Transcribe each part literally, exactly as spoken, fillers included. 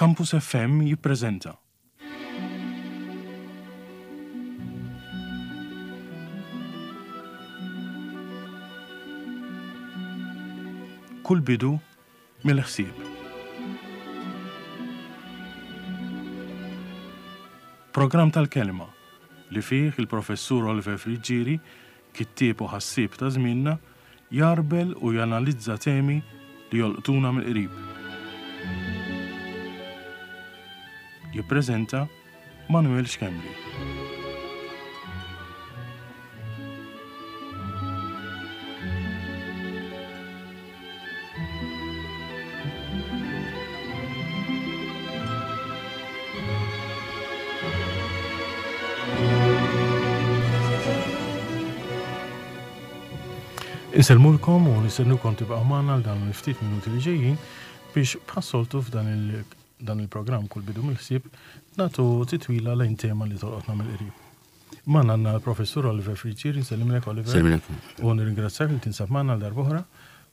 Campus F M jippreżenta. Kull bidu mill-ħsieb. Programm tal-kelma li fih il-professur Oliver Friggieri, kittieb u ħassieb ta' żmienna, jarbel u janalizza temi li jolqtuna mill-qrib. Jippreżenta Manuel Schembri. Insellmulkom u nistennukom tibqgħu magħna għal dawn il-ftit minuti li ġejjin biex bħas-soltu f'dan il-, dan il-programm kull bidu mill-ħsieb nagħtu titwila lejn tema li tolqotna mill-qrib. Magħna għandna l-professur Oliver Friggieri, nsellimlek Oliver. Sellimlek. U nirringrazzjak li tinsab magħna għal darb'oħra.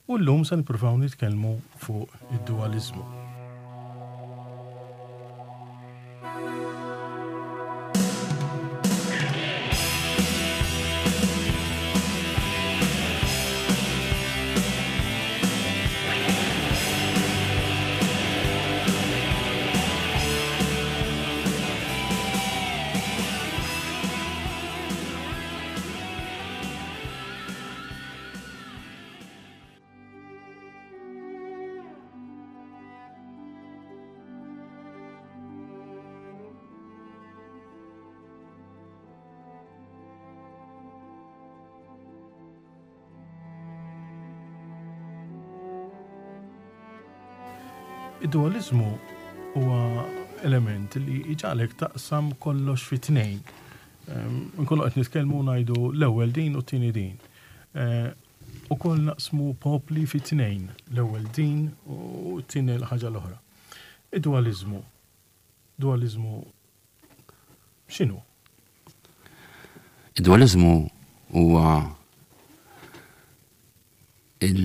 U llum se nippruvaw nitkellmu fuq id-dualizmu. Id-dualizmu huwa element li jġagħlek taqsam kollox fi tnejn. Ehm, nkunu qed nitkellmu ngħidu l-ewwel din u t-tieni din. Eh, ukoll naqsmu popli fi tnejn, l-ewwel din u t-tieni l-ħaġa l-oħra. Id-dualizmu. Dualizmu x'inhu? Id-dualizmu huwa il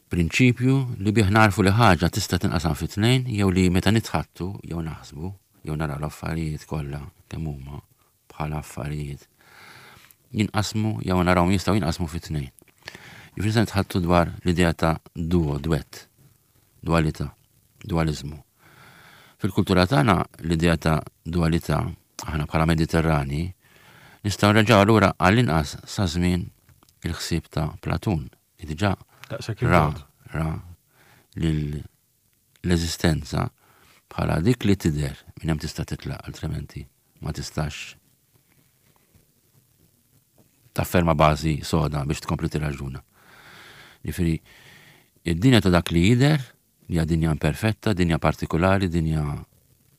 prinċipju li bih narfu li ħaġa tista' tinqasam fi tnejn jew li meta nitħattu jew naħsbu jew naraw l-affarijiet kollha kemm huma bħala affarijiet jinqasmu jew narawhom jistgħu jinqasmu fi tnejn. Jiġifieri se nitħattu dwar l-idea ta' duo, duett, dualità, dualizmu. Fil-kultura tagħna l-idea ta' dualità aħna bħala Mediterrani nistgħu nreġgħu lura għall-inqas sa żmien il-ħsieb ta' Platun, li diġà Daqshekk ra, il-bogħod. ra lil l-eżistenza bħala dik li tidher minn hemm tista' titlaq, altrimenti ma tistax tafferma bażi soda biex tkompli tirraġuna. Jiġifieri, id-dinja ta' dak li jidher, li hija dinja imperfetta, dinja partikolari, dinja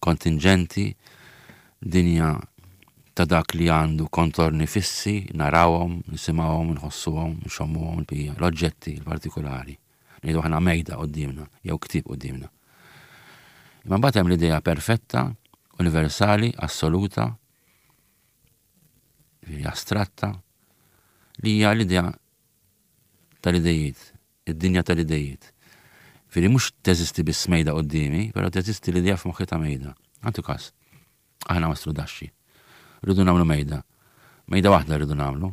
kontingenti, dinja ta' dak li għandu kontorni fissi, narawhom, nisimgħuhom, nħossuhom, nxommuhom, il-bqija, l-oġġetti l-partikolari. Ngħidu aħna mejda quddiemna jew ktieb quddiemna. Imma mbagħad hemm l-idea perfetta, universali, assoluta, jiġifieri astratta, li hija l-idea tal-idejiet, id-dinja tal-idejiet. Jiġifieri mhux teżisti biss mejda quddiemi, però teżisti l-idea f'moħħi ta' mejda. Għandu każ, aħna mastru daxxi. Rridu nagħmlu mejda. Mejda waħda rridu nagħmlu.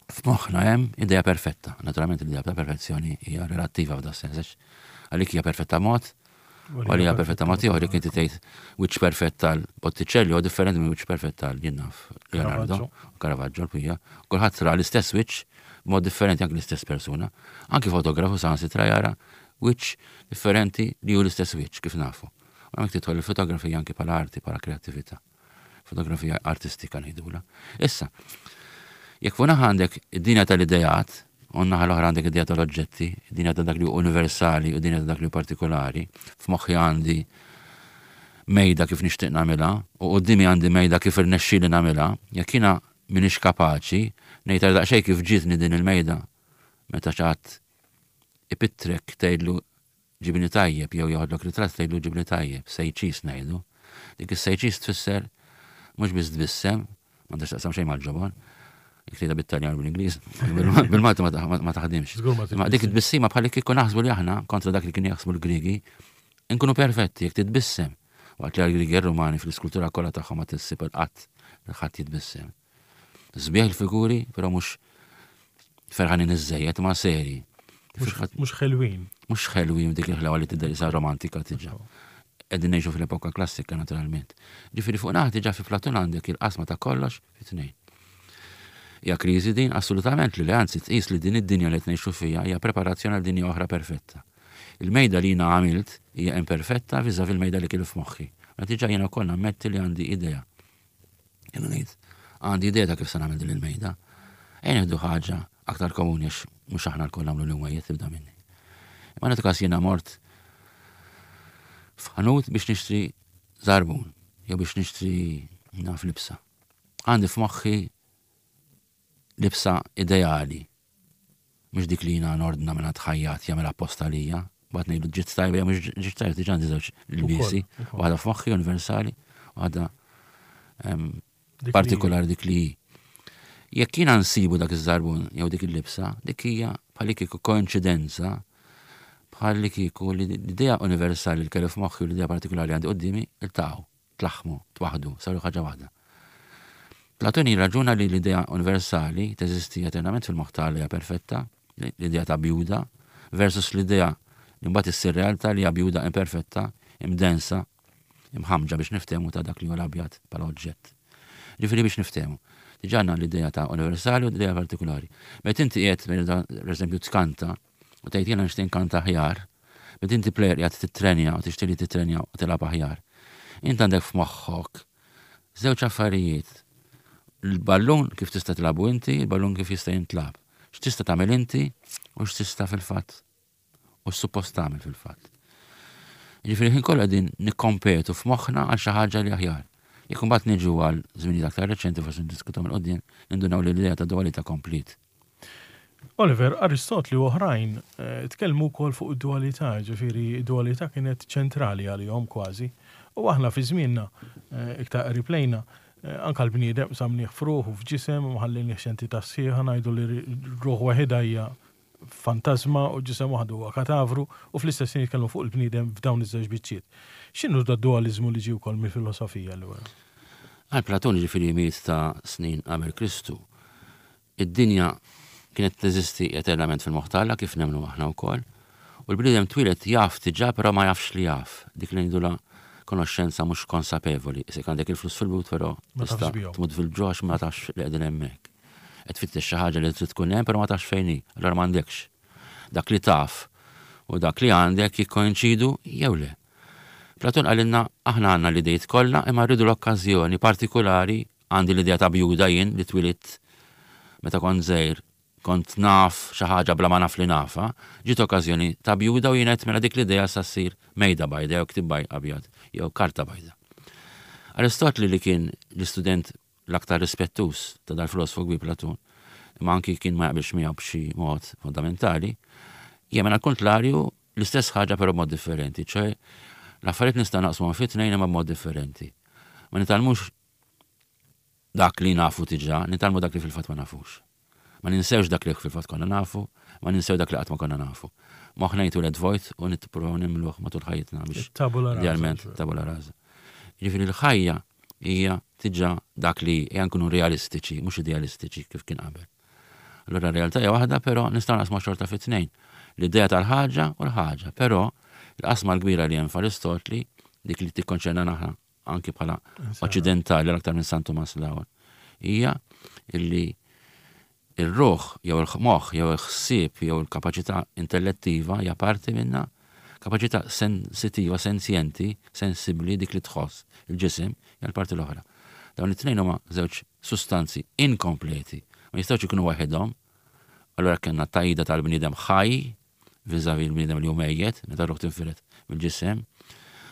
F'moħħna hemm idea perfetta. Naturalment l-idea ta' perfezzjoni hija relattiva f'da sens, għax għalik hija perfetta mod, u għalija perfetta mod ieħor, jekk inti tgħid wiċċ perfett tal Botticelli huwa differenti minn wiċċ perfett tal jien naf Leonardo, Caravaggio. Caravaggio, l-bqija. Kulħadd ra l-istess wiċċ b'mod differenti anke l-istess persuna. Anki fotografu saħansitra jara wiċċ differenti li hu l-istess wiċċ kif nafu. U hemmhekk tidħol il-fotografija anki bħala arti, bħala kreattività. Fotografija artistika ngħidulha. Issa, jekk fuq naħa għandek id-dinja tal-idejat, u naħa l-oħra għandek id-dinja tal-oġġetti, id-dinja ta' dak li hu universali u d-dinja ta' dak li hu partikolari, f'moħħi għandi mejda kif nixtieq nagħmilha, u quddiemi għandi mejda kif irnexxieli nagħmilha, jekk jiena m'iniex kapaċi ngħid għal daqsxejn kif ġietni din il-mejda, meta xi ħadd ipittrek tgħidlu ġibni tajjeb jew joħodlok ritratt tgħidlu ġibni tajjeb, sejċis ngħidu. Dik is-sejċis tfisser mhux biss tbissem, m'għandax taqsam xejn mal-ġobon, jekk tgħidha bit-Taljan u bil-Ingliż, bil-Malti ma ta-, ma taħdimx. Żgur ma Ma dik it-tbissima bħal kieku naħsbu li aħna kontra dak li kienu jaħsbu l-Griegi, Inkunu perfetti jekk titbissem. Waqt li għal-Griegi Rumani fl-iskultura kollha tagħhom ma tissib il-qatt li ħadd jitbissem. Sbieħ il-figuri, però mhux ferħanin iżżejjed ma seri. Mhux ħelwin. Mhux ħelwin dik il-ħlawa li tidher isa romantika tiġa. Qegħdin ngħixu fil-epoka klassika naturalment. Ġifieri fuq naħa diġà fi Platun għandek il-qasma ta' kollox fi tnejn. Hija kriżi din assolutament li anzi tqis li din id-dinja li qed ngħixu fiha hija preparazzjoni għal dinja oħra perfetta. Il-mejda li jiena għamilt hija imperfetta viżavi il-mejda li kelli f'moħħi. Ma diġà jiena wkoll nammetti li għandi idea. Jiena ngħid għandi idea ta' kif se nagħmel din il-mejda. Ejja nieħdu ħaġa aktar komuni għax mhux aħna lkoll nagħmlu l-imwejjed tibda minni. Imma nagħtu każ jiena mort f'ħanut biex nixtri żarbun jew biex nixtri naf libsa. Għandi f'moħħi libsa ideali. Mhux dik li jiena nordna minn ħajjat jagħmel apposta lija, mbagħad ngħidu ġiet tajba jew mhux ġiet tajba diġà għandi żewġ lbiesi, waħda f'moħħi universali, waħda partikolari dik li jekk jiena nsibu dak iż-żarbun jew dik il-libsa, dik hija bħal kieku koinċidenza bħal kieku li l-idea universali li kelli f'moħħi u l-idea partikolari għandi quddiemi iltaqgħu, tlaħħmu, twaħdu, saru ħaġa waħda. Platun jirraġuna li l-idea universali teżisti eternament fil-moħħ tal hija perfetta, l-idea ta' bjuda, versus l-idea li mbagħad issir realtà li hija bjuda imperfetta, imdensa, imħamġa biex niftehmu ta' dak li huwa l-abjad bħala oġġett. Ġifieri biex niftehmu. Diġà għandna l-idea ta' universali u l-idea partikolari. Meta inti qiegħed per eżempju tkanta u tgħid jiena nixtieq nkanta aħjar, meta inti player qiegħed titrenja u tixtieq li titrenja u tilgħab aħjar. Int għandek f'moħħok żewġ affarijiet. Il-ballun kif tista' tilgħabu inti, il-ballun kif jista' jintlagħab. X'tista' tagħmel inti u x'tista' fil-fatt u x'suppost tagħmel fil-fatt. Ġifieri ħin kollha qegħdin nikkompetu f'moħħna għal xi ħaġa li aħjar. Jekk imbagħad niġu għal żminijiet aktar reċenti forsi niddiskutu minn quddiem, nindunaw li l-idea ta' dualità komplet. Oliver, Aristotli u oħrajn eh, tkellmu wkoll fuq id-dualità, ġifieri dualità kienet ċentrali għalihom kważi. U aħna fi żmienna eh, iktar qrib lejna, eh, anka l-bniedem samnieh f'ruħ u f'ġisem u ħallinih entità sħiħa ngħidu li ruħ waħedha hija fantasma u ġisem waħdu huwa katavru u fl-istess ħin jitkellmu fuq il-bniedem f'dawn iż-żewġ biċċiet. X'inhu da dualizmu li ġie wkoll mill-filosofija allura? Għal Platun ġifieri mijiet ta' snin qabel Kristu, id-dinja kienet teżisti eternament fil-moħħ t'Alla kif nemmnu aħna wkoll, u l-bniedem twieled jaf diġà però ma jafx li jaf, dik li ngħidulha konoxxenza mhux konsapevoli. Isek għandek il-flus fil-but però Ma tafx tista' bihom. tmut fil-ġuħ għax ma tafx li qegħdin hemmhekk. Qed tfittex xi ħaġa li trid tkun hemm però ma tafx fejn hi, allura m'għandekx. Dak li taf u dak li għandek jikkoinċidu jew le. Platun qalilna aħna għandna l-idejt kollha imma rridu l-okkażjoni partikolari għandi l-idea ta' bjuda jien li twilidt meta kont żgħir kont naf xi ħaġa bla ma naf li nafa, ġiet okkażjoni ta' bjuda u jien qed mela dik l-idea sa ssir mejda bajda jew ktib baj abjad jew karta bajda. Aristotli li kien l-istudent l-aktar rispettus ta' dal-filosofu kbir Platun, imma anki kien ma jaqbilx miegħu b'xi mod fondamentali, jemmen għal kontrarju l-istess ħaġa però b'mod differenti, ċoj l-affarijiet nista' naqsmuhom fi tnejn imma b'mod differenti. Ma nitgħallmux dak li nafu diġà, nitgħallmu dak li fil-fatt ma nafux. Ma ninsewx dak li fil-fatt konna nafu, ma ninsew dak li qatt ma konna nafu. Moħħna jitwieled vojt u nippruvaw nimluh matul ħajjitna biex Tabula rasa. idealment tabula rasa. Ġifieri l-ħajja hija diġà dak li hija nkunu realistiċi, mhux idealistiċi kif kien qabel. Allura r-realtà hija waħda, però nistgħu naqsmu xorta fi tnejn. L-idea tal-ħaġa u l-ħaġa, però l-qasma l-kbira li hemm f'Aristotli, dik li tikkonċerna aħna anki bħala oċċidentali l-aktar minn San Tumas l-ewwel, hija illi il-ruħ jew il-moħħ jew il-ħsieb jew il-kapaċità intellettiva hija parti minna, kapaċità sensitiva, sensjenti, sensibbli dik li tħoss il-ġisem hija l-parti l-oħra. Dawn it-tnejn huma żewġ sustanzi inkompleti, ma jistgħux ikunu waħedhom. Allura kellna tajda tal-bniedem ħaj viżavi l-bniedem li hu mejjet, meta ruħ tinfired mill-ġisem.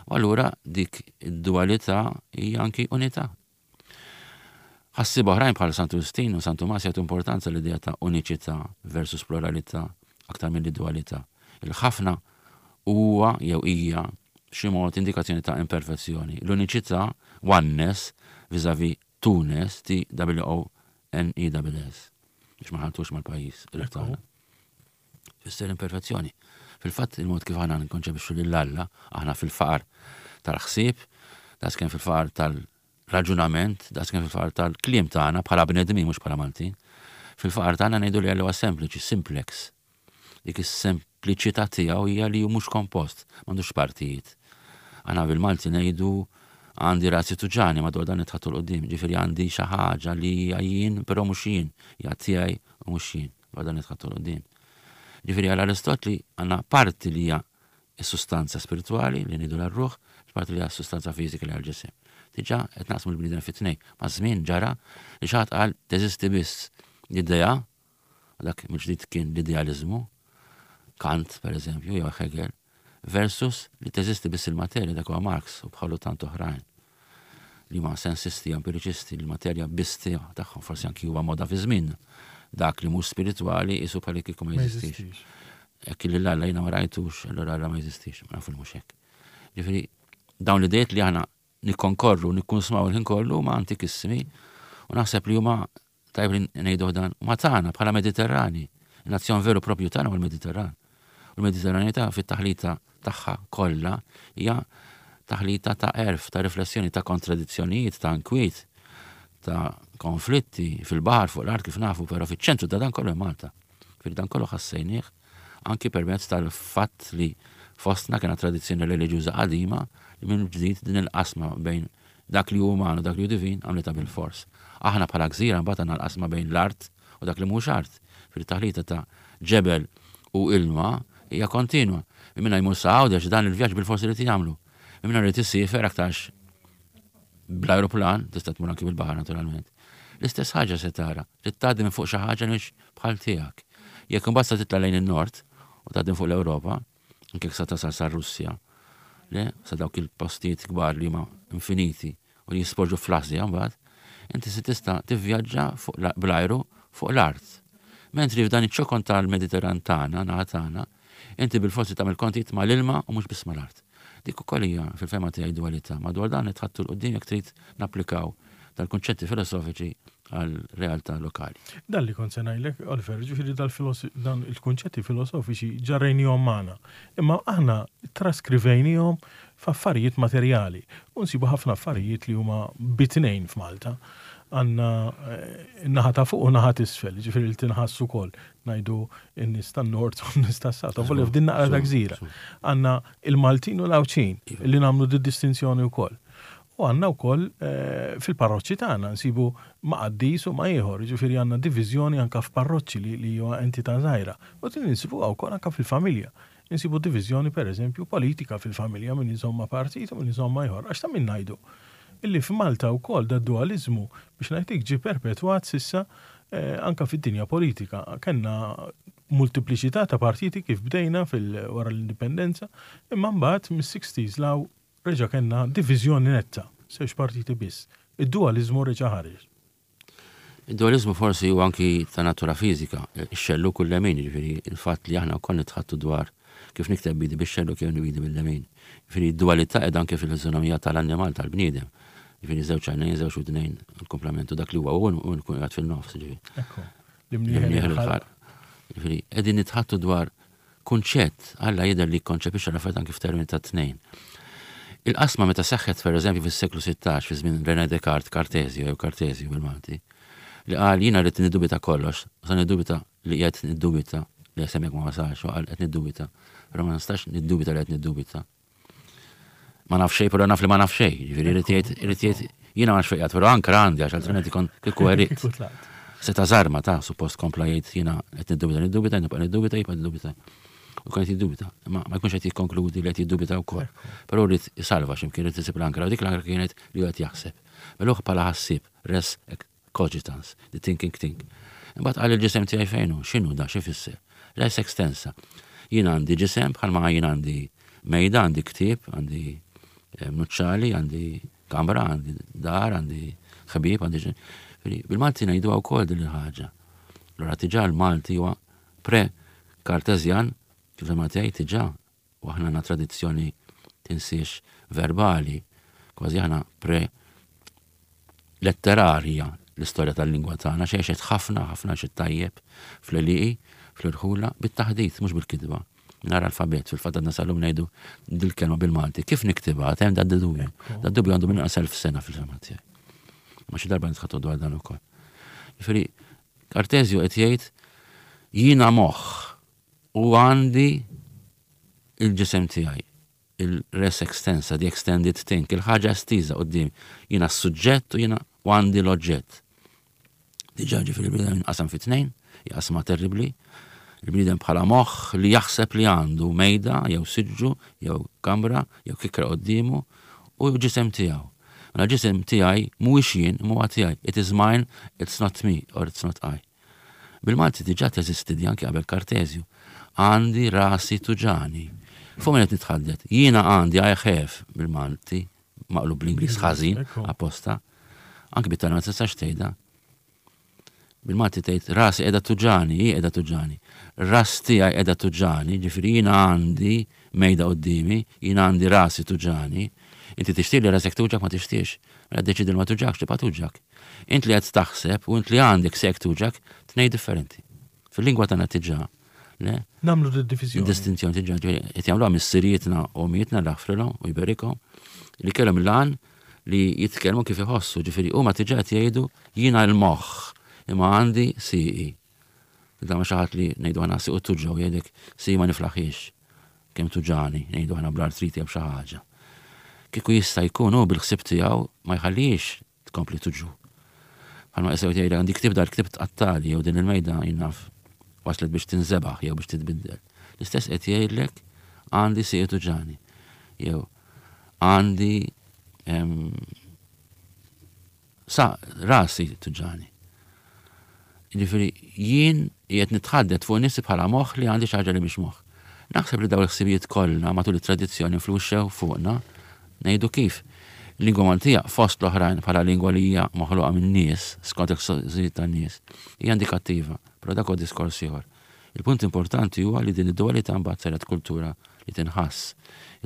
U allura dik id-dualità hija anki unità. Ħassieba oħrajn bħal Santu Wistin u Santu Tumas jagħtu importanza l-idea ta' uniċità versus pluralità aktar mill dualità. Il-ħafna huwa jew hija xi mod indikazzjoni ta' imperfezzjoni. L-uniċità, oneness, vis-a-vis two-ness, T W O N E S S. Biex ma ħaltux mal-pajjiż il-tagħna. Fisser imperfezzjoni. Fil-fatt il-mod kif aħna nkonċepixxu lil Alla, aħna fil-faqar tal-ħsieb, daqskemm fil-faqar tal-raġunament, daqskemm fil-faqar tal-kliem tagħna bħala bnedmin mhux bħala Maltin. Fil-faqar tagħna ngħidu li Alla huwa sempliċi, simplex. Dik is-sempliċità tiegħu hija li hu mhux kompost, m'għandux partijiet. Aħna bil-Malti ngħidu għandi rasi tuġgħani madwar dan nitħaddtu 'l quddiem, ġifieri għandi xi ħaġa li hija jien, però mhux jien, hija tiegħi u mhux jien, dwar dan nitħaddtu 'l quddiem. Ġifieri għal Aristotli għandna parti li hija s-sustanza spiritwali li ngħidu l-ruħ, parti li hija s-sustanza fiżika li għal-ġisem. Diġà qed naqsmu l-bniedem fi tnejn. Ma' żmien ġara li xi ħadd qal teżisti biss l-idea, dak mill-ġdid kien l-idealizmu, Kant per eżempju, jew Hegel, versus li teżisti biss il-materja, dak huwa Marx u bħalu tant oħrajn li ma sensisti, empiriċisti, l-materja biss tagħhom, forsi anki huwa moda fi żmien dak li mhux spiritwali isu bħal kieku ma jeżistix. Jekk li l-Alla jiena ma rajtux, allura Alla ma jeżistix, ma nafu li mhux hekk. Ġifieri dawn l-idejiet li aħna nikkonkorru, nikkunsmaw il-ħin kollu ma antikissimi u naħseb li huma tajb li ngħidu dan ma tagħna bħala Mediterrani. Il-nazzjon veru propju tagħna huwa l-Mediterran. U l-Mediterranità fit-taħlita tagħha kollha hija taħlita ta' għerf, ta' riflessjoni, ta' kontradizzjonijiet, ta' inkwiet, ta' konflitti fil-baħar fuq l-art kif nafu, però fiċ-ċentru ta' dan kollu Malta. Fil dan kollu ħassejnieh anki permezz tal-fatt li fostna kena tradizzjoni reliġjuża qadima li minn ġdid din il-qasma bejn dak li hu uman u dak li hu divin għamlita bil-fors. Aħna bħala gżira mbagħad għandna l-qasma bejn l-art u dak li mhux art. Fil-taħlita ta' ġebel u ilma hija kontinwa. Minna jmur sa Għawdex dan il-vjaġġ bil-forsi li jagħmlu. Minna rrid issiefer aktarx bl-aeroplan, tista' tmur anki bil-baħar naturalment. L-istess ħaġa se tara, trid tgħaddi minn fuq xi ħaġa mhix bħal tiegħek. Jekk imbagħad sa titla' lejn in-nord u tgħaddi fuq l-Ewropa, anke sa tasal sa Russja, le, sa dawk il-postijiet kbar li huma infiniti u li jisporġu fl-Asja mbagħad, inti se tista' tivvjaġġa fuq bl-ajru fuq l-art. Mentri f'dan iċ-ċokon tal-Mediterran tagħna, naħa tagħna, inti bil-forsi tagħmel kontijiet mal-ilma u mhux biss mal-art. Dik ukoll hija fil-fehma tiegħi dualità. Madwar dan nitħaddtu 'l quddiem jekk trid napplikaw tal-kunċetti filosofiċi għal realtà lokali. Dan li kont se ngħidlek, Oliver, ġifieri dan il-kunċetti filosofiċi ġarrejnihom magħna. Imma aħna traskrivejnihom f'affarijiet materjali. U nsibu ħafna affarijiet li huma bi tnejn f'Malta. Għandna eh, naħa ta' fuq u naħa t'isfel, ġifieri li tinħassu ukoll ngħidu n-nies tan-nord u n-nies tas-south, volja f'din naqra ta' gżira. Għandna il-Maltin u l-Għawdxin iva. li nagħmlu di distinzjoni wkoll. U għandna wkoll eh, fil-parroċċi tagħna nsibu ma' qaddis u ma' ieħor, ġifieri għandna diviżjoni anka f'parroċċi li li huwa entità żgħira. U din insibuha wkoll anka fil-familja. Insibu diviżjoni pereżempju politika fil-familja min iżomm ma' partit u min iżomm ma' ieħor. Għax ta' min ngħidu illi f'Malta wkoll da dualizmu biex ngħidlek ġie perpetwat sissa eh, anka fid-dinja politika. Kenna multipliċità ta' partiti kif bdejna fil-wara l-indipendenza, imma mbagħad mis-sixties 'l hawn reġa' kellna diviżjoni netta, żewġ partiti biss. Id-dualizmu reġa' ħareġ. Id-dualizmu forsi huwa anki ta' natura fiżika, ix-xellug u l-lemin, ġifieri il-fatt li aħna wkoll nitħaddtu dwar kif nikteb b'idi bix-xellug kif b'idi bil-lemin. Ġifieri d-dualità qiegħda anke fil-fiżonomija tal-annimal tal-bniedem. Ġifieri żewġ għajnejn, żewġ widnejn, il-komplementu dak li huwa u nkun qiegħed fil-nofs, ġifieri. Ekku. L-imnieħer il-ħalq. Ġifieri qegħdin nitħaddtu dwar kunċett, Alla jidher li konċepixxa l-affarijiet anke f'termini ta' tnejn. Il-qasma meta seħħet per eżempju fis-seklu sittax fi żmien René Descartes, Cartesio jew Cartesio bil-Malti, li qal jiena rrid niddubita kollox, sa niddubita li qed niddubita li semmek ma wasalx, u qal qed niddubita, però ma nistax niddubita li qed niddubita. Ma naf xejn, però naf li ma naf xejn, ġifieri irid jgħid, irid jgħid jiena ma nafx fejn qiegħed, però ankra għandi għax altrimenti kon kieku għeriq. Seta' żarma ta' suppost kompla jgħid jiena qed niddubita, niddubita, nibqa' niddubita, jibqa' niddubita. U kien qed jiddubita, imma ma jkunx qed jikkonkludi li qed jiddubita wkoll. Però rrid isalva x'imkien irid isib l-ankra, u dik l-ankra kienet li qed jaħseb. Mela bħala ħassieb, res cogitans, the thinking thing. Imbagħad qal il-ġisem tiegħi fejn hu, x'inhu da, x'ifisser? Res extensa. Jien għandi ġisem bħalma jien għandi mejda, għandi ktieb, għandi eh, nuċċali, għandi kamra, għandi dar, għandi ħbieb, għandi ġen. Bil-Malti ngħidu wkoll din il-ħaġa. Allura diġà l-Malti huwa pre-Kartezjan, kif ma tgħid diġà, u aħna għandna tradizzjoni tinsiex verbali, kważi aħna pre-letterarja l-istorja tal-lingwa tagħna xejxet ħafna ħafna xi tajjeb fl-għelieqi, fl-irħula, bit-taħdit mhux bil-kitba. Mingħajr alfabet, fil-fatt għadna sal-lum ngħidu dil-kelma bil-Malti. Kif niktibha? Hemm da dubju. Da dubju għandu minn elf sena fil-fehma tiegħi. Ma xi darba nitħaddtu dwar dan ukoll. Jiġifieri, Kartezju qed jgħid jiena moħħ u għandi il-ġisem tiegħi, il-res extensa, the extended thing, il-ħaġa estiża quddiem. Jiena s-suġġett u jiena u għandi l-oġġett. Diġà, ġifieri, il-bniedem inqasam fi tnejn, qasma terribli. Il-bniedem bħala moħħ li jaħseb li għandu mejda, jew siġġu, jew kamra, jew kikra qoddimu u ġisem tiegħu. Mela ġisem tiegħi mhuwiex jien, mhuwa tiegħi. It is mine, it's not me or it's not I. Bil-Malti diġà teżisti di anki qabel Kartezju. Għandi rasi tuġgħani. Fuq min qed nitħaddet. Jiena għandi, I have bil-Malti, maqlub bl-Ingliż ħażin, apposta. Anki bit-Taljan ma tistax tgħidha. Bil-Malti tgħid rasi qiegħda tuġgħani, hi qiegħda tuġgħani. Ras tiegħi qiegħda tuġgħani, ġifieri jiena għandi mejda quddiemi, jiena għandi rasi tuġgħani. Inti tixtieq li rasek tuġgħak? Ma tixtiex. Mela deċidi li ma tuġgħakx, tibqa' tuġgħak. Int li qed taħseb u int li għandek sek tuġgħak, tnejn differenti. Fil-lingwa tagħna diġà, le? Nagħmlu d-divizjoni. Distinzjoni diġà, qed jagħmluha missirietna u ommijietna, jaħfrilhom u jberikhom, li kellhom il-għan li jitkellmu kif iħossu, ġifieri huma diġà qed jgħidu jiena l-moħħ imma għandi sieqi. Da ma xi ħadd li ngħidu aħna siequ tuġgħu, jgħidlek sieqi ma niflaħiex. Kemm tuġgħani, ngħidu aħna bl-artriti jew xi ħaġa. Kieku jista' jkun hu bil-ħsieb tiegħu ma jħallix tkompli tuġgħu. Bħalma jsew jgħid għandi ktib, dal-ktib tqattali, jew din il-mejda jinnaf waslet biex tinżebaħ jew biex titbiddel. L-istess qed jgħidlek għandi sieqi tuġgħani. Jew għandi sa rasi tuġgħani. Ġifieri jien qiegħed nitħaddet fuq nifsi bħala moħħ li għandi xi ħaġa li mhix moħħ. Naħseb li dawn il-ħsibijiet kollha matul it-tradizzjoni influxxew fuqna, ngħidu kif. Lingwa Maltija, fost l-oħrajn, bħala lingwa li hija maħluqa minn nies, skont il-ħsibijiet tan-nies, hija indikattiva, però dak huwa diskors ieħor. Il-punt importanti huwa li din id-dualità mbagħad saret kultura li tinħass.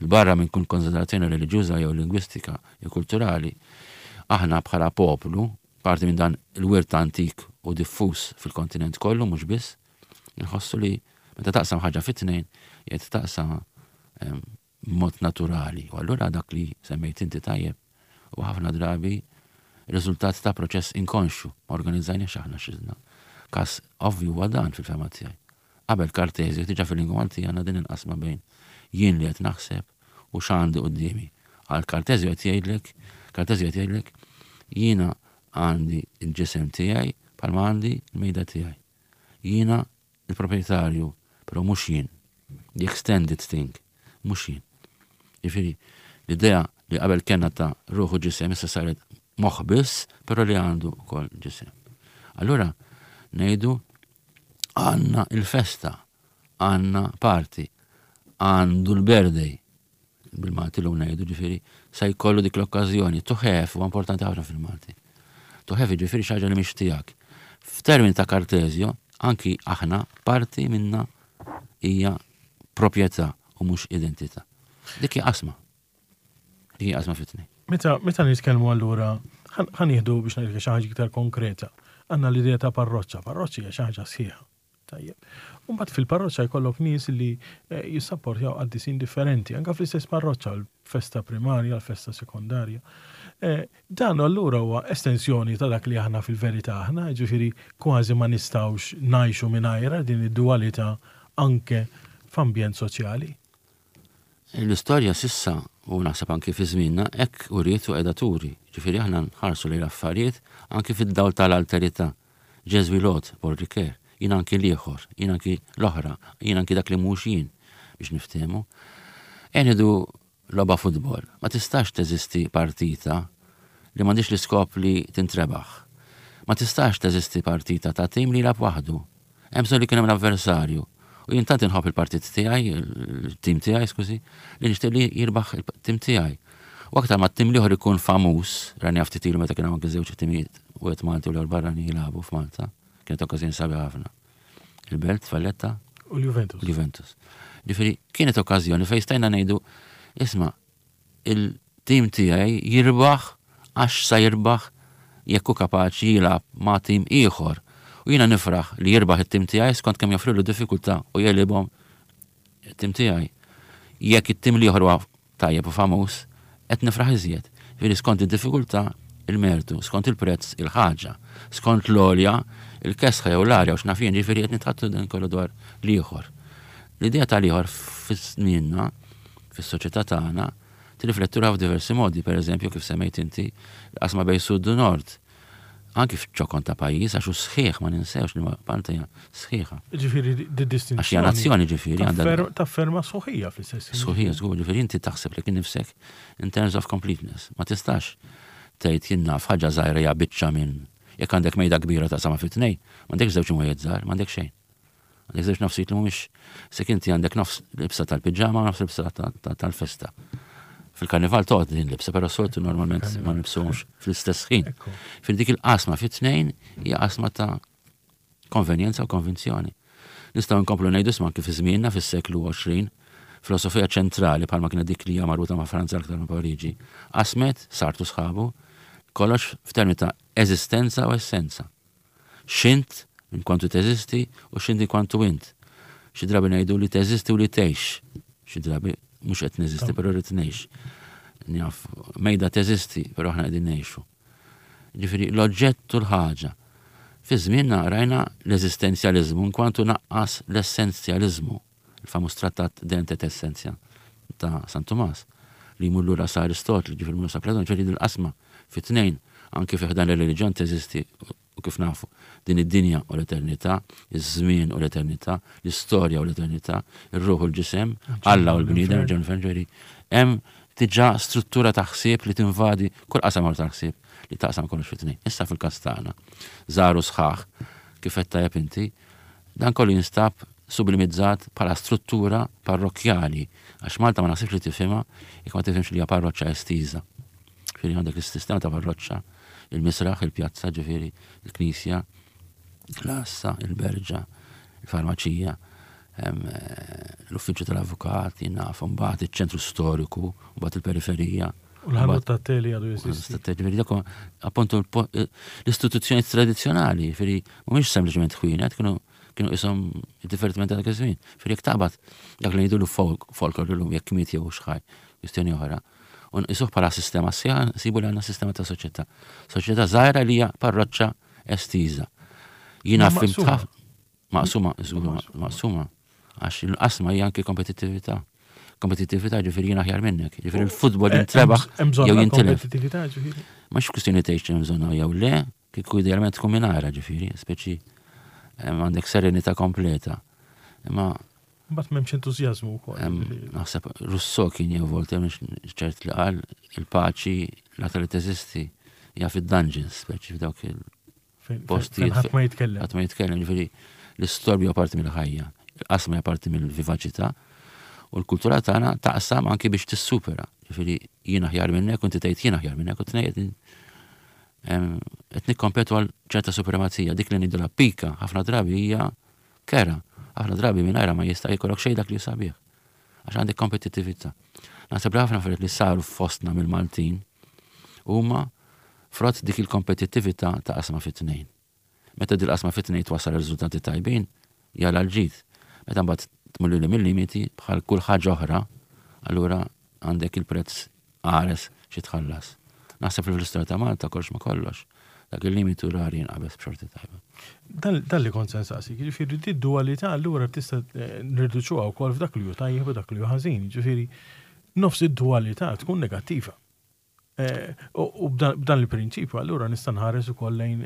Il-barra minn kull konsiderazzjoni reliġjuża jew lingwistika jew kulturali, aħna bħala poplu, parti minn dan il-wirt antik u diffuż fil-kontinent kollu, mhux biss, inħossu li meta taqsam ħaġa fit-tnejn, jgħid taqsam mod naturali. U allura dak li semmejt inti tajjeb u ħafna drabi riżultat ta' proċess inkonxju, ma organizzajniex aħna xizna. Kas ovvju huwa dan fil-fehma tiegħi. Qabel Kartezju diġà fil-lingwa Maltija għandna din il-qasma bejn jien li qed naħseb u x'għandi quddiemi. Għal Kartezju qed jgħidlek, Kartezju qed jgħidlek jiena għandi il-ġisem tiegħi bħalma għandi l-mejda tiegħi. Jiena il-proprjetarju, però mhux jien. The extended thing, mhux jien. Jiġifieri, l-idea li qabel kellna ta' ruħu ġisem issa saret moħħ biss, però li għandu wkoll ġisem. Allura ngħidu għandna il-festa, għandna party, għandu l-birthday, bil-Malti l ngħidu, ġifieri, sa jkollu dik l-okkażjoni, to have huwa importanti ħafna fil-Malti. To have ġifieri xi ħaġa li mhix tiegħek. F'termini ta' Kartezjo, anki aħna parti minna hija proprjetà u mhux identità. Dik hija qasma. Dik hija qasma fit-tnejn. Meta meta nitkellmu allura, ħa nieħdu biex ngħidlek xi ħaġa iktar konkreta. Għandna l-idea ta' parroċċa, parroċċa hija xi ħaġa sħiħa. Tajjeb. U mbagħad fil-parroċċa jkollok nies li eh, jissapportjaw qaddisin differenti, anke fl-istess parroċċa, l-festa primarja, l-festa sekondarja. Eh, dan allura huwa estensjoni ta' dak li aħna fil-verità aħna, ġifieri kważi ma nistgħux ngħixu mingħajra din id-dualità anke f'ambjent soċjali. L-istorja s'issa, u naħseb anki fi żmienna, hekk uriet u qiegħda turi. Ġifieri aħna nħarsu lejn l-affarijiet anki fid-dawl tal-alterità. Je suis l'autre, Paul Ricoeur, jien anki l-ieħor, jien anki l-oħra, jien anki dak li mhux jien, biex niftehmu. Ngħidu logħba futbol, ma tistax teżisti partita li m'għandix l-iskop li tintrebaħ. Ma tistax teżisti partita ta' tim li jilgħab waħdu. Hemm bżonn li kien hemm l-avversarju. U jien tant inħobb il-partit tiegħi, il-tim tiegħi, skużi, li nixtieq li jirbaħ il-tim tiegħi. U aktar ma t-tim l-ieħor ikun famuż, rani ftit ilu meta kien hawn anke żewġ timijiet, wieħed Malti u l-ieħor barrani jilagħbu f'Malta, kienet okkażjoni sabiħa ħafna. Il-Belt, Valletta U l-Juventus. L-Juventus. Ġifieri kienet okkażjoni fejn stajna ngħidu, isma', il-tim tiegħi jirbaħ għax sa jirbaħ jekk hu kapaċi jilgħab ma' tim ieħor. U jiena nifraħ li jirbaħ it-tim tiegħi skont kemm joffrilu diffikultà u jegħlibhom It-tim tiegħi. Jekk it-tim l-ieħor huwa tajjeb u famuż, qed nifraħ iżjed. Ġifieri skont id-diffikultà, il-mertu, skont il-prezz, il-ħaġa, skont l-olja, il-kesħa jew l-arja u x'naf jien, ġifieri qed nitħattu dan kollu dwar l-ieħor. L-idea tal-ieħor fis-sninna, fis-soċjetà tagħna, tirriflettu f'diversi modi, per eżempju, kif semmejt inti, l-qasma bejn sud u nord. Anki f'ċokon ta' pajjiż, għax hu sħiħ, ma ninsewx li Malta hija sħiħa. Ġifieri di distinzjoni. Għax hija nazzjoni ġifieri għandha. Tafferma sħuħija fl-istess. Sħuħija, żgur, ġifieri inti taħseb lilek innifsek in terms of completeness. Ma tistax tgħid jien naf ħaġa żgħira hija biċċa minn jekk għandek mejda kbira ta' sama fit-tnejn, m'għandekx żewġ imwejjed żgħar, m'għandek xejn. Għandek żewġ nofsijiet li mhumiex se inti għandek nofs libsa tal-piġama u nofs libsa tal-festa. Fil-karnival toqgħod din libsa, però soltu normalment ma nibsuhomx fl-istess ħin. Fil dik il-qasma fit-tnejn hija qasma ta' konvenjenza u konvinzjoni. Nistgħu nkomplu ngħidu sma kif żmienna fis-seklu għoxrin, filosofija ċentrali bħalma kienet dik li hija marbuta ma' Franza aktar ma' Pariġi, qasmet Sartre u sħabu kollox f'termini ta' eżistenza u essenza. X'int in kwantu teżisti u x'int in kwantu int. Xi drabi ngħidu li teżisti u li tgħix. Xi drabi mhux qed neżisti, però rrid ngħix. Njaf, mejda teżisti, però aħna qegħdin ngħixu. Ġifieri l-oġġett u l-ħaġa. Fi żmienna rajna l-eżistenzjaliżmu kwantu naqqas l-essenzjaliżmu, il-famuż trattat De Ente et Essentia ta' San Tumas, li jmur lura sa' Aristotli, ġifieri mur sa' Platon, ġifieri il-qasma fit-tnejn, anke fi ħdan ir-reliġjon teżisti u kif nafu din id-dinja u l-eternità, iż-żmien u l-eternità, l-istorja u l-eternità, ir-ruħ u l-ġisem, Alla u l-bniedem, ġifieri hemm diġà struttura ta' ħsieb li tinvadi kull qasam ta' ħsieb li taqsam kollox fit-tnejn. Issa fil-każ tagħna, żaru sħaħ, kif qed tajjeb inti, dan kollu jinstab sublimizzat bħala struttura parrokkjali, għax Malta ma naħsibx li tifhimha jekk ma tifhimx li hija parroċċa estiża. Ġifieri għandek is-sistema ta' parroċċa, il-misraħ, il-pjazza, ġifieri, il-knisja, l-assa, il-berġa, il-farmaċija, l-uffiċċju tal-avukat, jinnaf, mbagħad iċ-ċentru storiku, mbagħad il-periferija. U l-ħanut ta' teli għadu jeżisti. Ġifieri dak appuntu l-istituzzjoni tradizzjonali, ġifieri mhumiex sempliċement ħwienet, kienu kienu isom divertiment ta' dak iż-żmien. Ġifieri jekk taqbad dak li ngħidulu folklor illum jekk miet jew xħaj, kwistjoni oħra. U nqisuh bħala sistema sħiħa, nsibu li għandna sistema ta' soċjetà. Soċjetà żgħira li hija parroċċa estiża. Jiena fhimt maqsuma, maqsuma. Għax il-qasma hija anke kompetittività. Kompetittività ġifieri jiena aħjar minnek. Ġifieri il-futbol jintrebaħ jew jintilef. Kompetittività ġifieri. Mhux kwistjoni tgħix hemm bżonn jew le, kieku idealment tkun mingħajrha ġifieri, speċi għandek serenità kompleta. Imma Mbagħad m'hemmx entużjażmu wkoll. Naħseb Rousseau kien jew Voltaire mhux ċert li qal il-paċi l-aktar li teżisti hija fid-dungeons, speċi f'dawk il-postijiet. Ħadd ma jitkellem. Ħadd ma jitkellem, ġifieri l-istorbju huwa parti mill-ħajja, il-qasma hija parti mill-vivaċità u l-kultura tagħna taqsam anki biex tissupera. Ġifieri jien aħjar minnek u inti tgħid jien aħjar minnek u tnejn qed nikkompetu għal ċerta supremazija, dik li ngħidulha pika ħafna drabi hija kera. Ħafna drabi mingħajrha ma jista' jkollok xejn dak li sabiħ. Għax għandek kompetittività. Naħseb li ħafna affarijiet li saru fostna mill-Maltin huma frott dik il-kompetittività ta' qasma fit-tnejn. Meta dil qasma fit-tnejn twassal riżultati tajbin, jala l-ġid. Meta mbagħad tmur lil mill-limiti bħal kull ħaġa oħra, allura għandek il-prezz qares xi tħallas. Naħseb li fl-istorja ta' Malta kollox ma kollox. Dak il-limitu rari jinqabeż b'xorti tajba. Dan li kont se nsaqsik, jiġifieri di dualità allura tista' nirriduċuha wkoll f'dak li hu tajjeb u dak li hu ħażin, jiġifieri nofs id-dualità tkun negattiva. U b'dan il-prinċipju allura nista' nħares ukoll lejn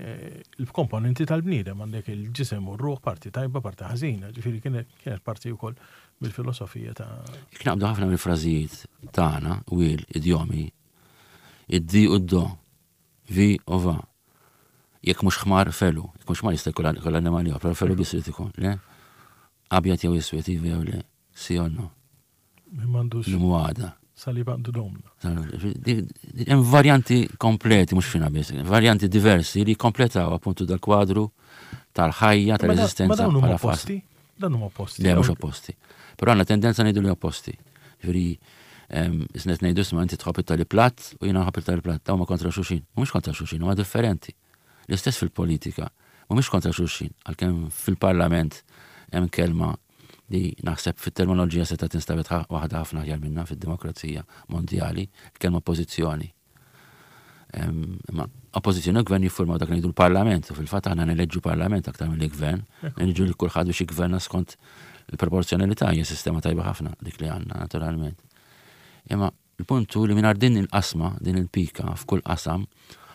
il-komponenti tal-bniedem, għandek il-ġisem u r-ruħ, parti tajba, parti ħażina, ġifieri kienet parti wkoll mill-filosofija ta' Jekk naqbdu ħafna mill-frażijiet tagħna, wil, idjomi, id-di u d-do, vi u va. Jekk mhux ħmar felu, jekk mhux ħmar jista' jkun kull annimali oħra, però felu biss irid ikun, le? Abjad jew iswed, iva jew le, si jew no. Min m'għandux L-imwada. Salib għandu domna. Hemm varjanti kompleti, mhux fina biss, varjanti diversi li kompletaw appuntu dal-kwadru tal-ħajja, tal-eżistenza. Ma dawn huma opposti? Dan huma opposti. Le, mhux opposti. Però għandna tendenza ngħidu li opposti. Ġifieri, isnet ngħidu isma' inti tħobb it-tali platt u jiena nħobb it-tali platt, dawn huma kontra xulxin. Mhumiex kontra xulxin, huma differenti. L-istess fil-politika, mhumiex kontra xulxin, għalkemm fil-parlament hemm kelma Li naħseb fit-terminoloġija seta' tinstabet waħda ħafna aħjar minna fid-demokrazija mondjali, il-kelma oppożizzjoni. Imma oppożizzjoni u gvern jiffurmaw dak ngħidu l-parlament, u fil-fatt aħna neleġġu parlament aktar mill-gvern, neleġġu lil kulħadd biex jgverna skont il-proporzjonalità, hija sistema tajba ħafna dik li għandna naturalment. Imma il-punt hu li mingħajr din il-qasma, din il-pika f'kull qasam,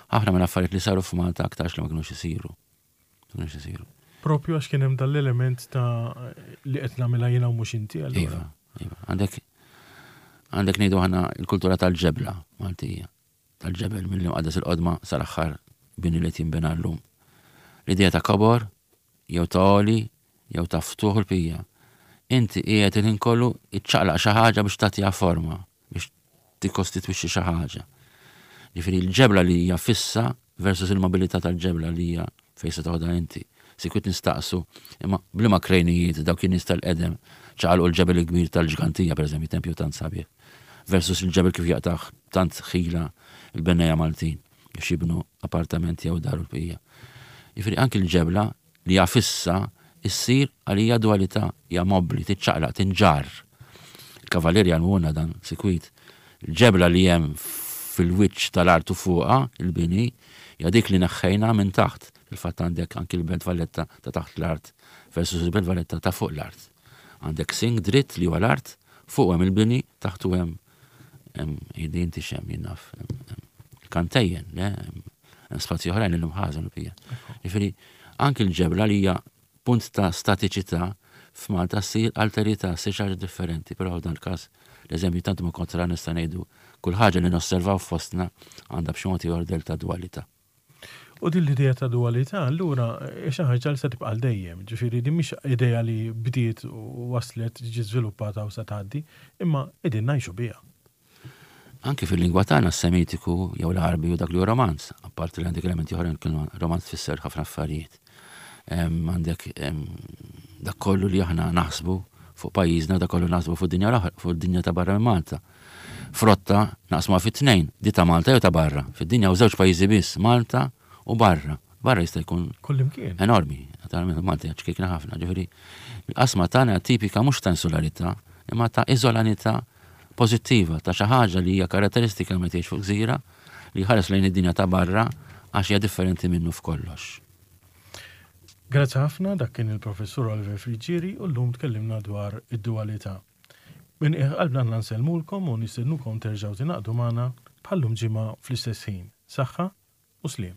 ħafna minn affarijiet li saru f'Malta aktarx li ma kinux isiru. Ma kinux isiru. Propju għax kien hemm dal-element ta' li qed nagħmilha jiena u mhux inti allura. Iva, iva. Għandek għandek ngħidu aħna l-kultura tal-ġebla Maltija. Tal-ġebel mill-imqaddes il-qodma sal-aħħar bini li jinbena llum. L-idea ta' kobor, jew ta' oli, jew ta' ftuħ il-pija. Inti qiegħed il-ħin kollu iċċaqlaq xi ħaġa biex tagħtiha forma, biex tikkostitwixxi xi ħaġa. Ġifieri l-ġebla li hija fissa versus il-mobilità tal-ġebla li hija fejn se toħodha inti. Sikwit nistaqsu, imma bliema krejnijiet dawk in-nies tal-qedem ċaqalqu l-ġebel il-kbir tal-Ġgantija, pereżempju, tempju tant sabiħ, versus il-ġebel kif jaqtaħ tant ħila il-bennejja Maltin biex jibnu appartamenti jew dar u l-bqija. Jiġifieri anki l-ġebla li hija fissa issir għalija dualità, hija mobbli, tiċċaqlaq, tinġarr. Il-kavalieri għalmuna dan sikwit. Il-ġebla li hemm fil-wiċċ tal-art u fuqha, il-bini, hija dik li neħħejna minn taħt. Fil-fatt għandek anki l-Belt Valletta ta' taħt l-art versus il-Belt Valletta ta' fuq l-art. Għandek sing dritt li huwa l-art, fuq hemm il-bini, taħtu hemm hemm jidin tixem jinnaf, kantejjen, le, hemm spazji oħrajn li mħażen u pija. Jiġifieri anki l-ġebla li hija punt ta' statiċità f'Malta ssir alterità, ssir xi ħaġa differenti, però f'dan il-każ l-eżempju tant ma kontra nista' ngħidu kull ħaġa li nosservaw fostna għandha b'xi mod ieħor del ta' dualità. U din l-idea ta' dualità allura xi ħaġa li se tibqa' għal dejjem, ġifieri din mhix idea li bdiet u waslet ġiet żviluppata u se tgħaddi, imma qegħdin ngħixu biha. Anki fil-lingwa tagħna s-Semitiku jew l-Għarbi u dak li hu romanz, apparti li għandek elementi oħrajn kienu romanz tfisser ħafna affarijiet. Għandek dak kollu li aħna naħsbu fuq pajjiżna, dak kollu naħsbu fuq dinja l-oħra, fuq dinja ta' barra minn Malta. Frotta naqsmuha fit-tnejn, di ta' Malta jew ta' barra. Fid-dinja u żewġ pajjiżi biss, Malta u barra. Barra jista' jkun Kullimkien. enormi, naturalment Malta hija ċkejkna ħafna, ġifieri l-qasma tagħna tipika mhux ta' insularità, imma ta' iżolanità pożittiva, ta' xi ħaġa li hija karatteristika meta tgħix fuq gżira li ħares lejn id-dinja ta' barra għax hija differenti minnu f'kollox. Grazzi ħafna, dak kien il-Professur Oliver Friggieri u llum tkellimna dwar id-dualità. Minn qiegħ qalbna nsellmulkom u nistednukom terġgħu tingħaqdu magħna bħallum ġimgħa fl-istess ħin. Saħħa u sliem.